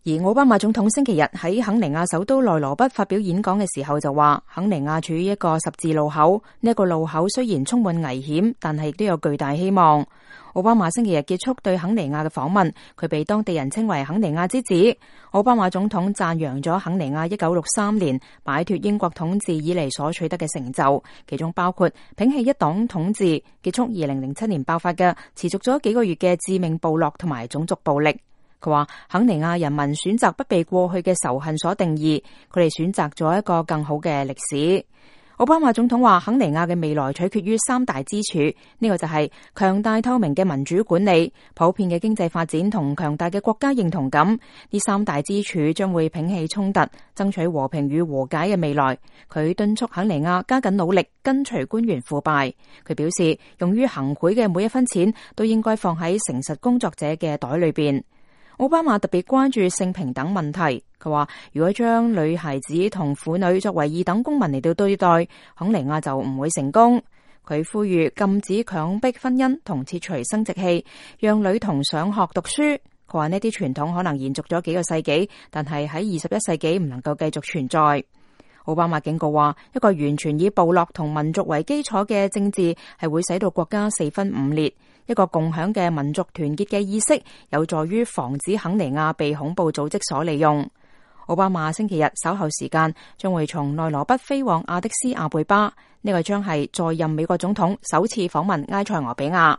而奧巴馬總統星期日喺肯尼亞首都內羅畢發表演講嘅時候就話，肯尼亞處於一個十字路口，呢個路口雖然充滿危險，但係亦都有巨大希望。奧巴馬星期日結束對肯尼亞嘅訪問，佢被當地人稱為肯尼亞之子。奧巴馬總統讚揚咗肯尼亞1963年擺脫英國統治以嚟所取得嘅成就，其中包括摒棄一黨統治，結束2007年爆發嘅持續咗幾個月嘅致命部落同埋種族暴力。佢話肯尼亞人民選擇不被過去嘅仇恨所定義，佢哋選擇咗一個更好嘅歷史。奧巴馬總統話肯尼亞嘅未來取決於三大支柱，呢個就係強大透明嘅民主管理、普遍嘅經濟發展同強大嘅國家認同感。呢三大支柱將會摒棄衝突，爭取和平與和解嘅未來。佢敦促肯尼亞加緊努力，根除官員腐敗。佢表示，用於行賄嘅每一分錢都應該放喺誠實工作者嘅袋裏邊。奧巴馬特別關注性平等問題，佢話如果將女孩子同婦女作為二等公民嚟到對待，肯尼亞就唔會成功。佢呼籲禁止強迫婚姻同切除生殖器，讓女童上學讀書。佢話呢啲傳統可能延續咗幾個世紀，但係喺21世紀唔能夠繼續存在。奧巴馬警告話，一個完全以部落同民族為基礎嘅政治係會使到國家四分五裂。一個共享嘅民族團結嘅意識有助於防止肯尼亞被恐怖組織所利用。奧巴馬星期日稍後時間將會從內羅畢飛往亞的斯亞貝巴，呢個將係在任美國總統首次訪問埃塞俄比亞。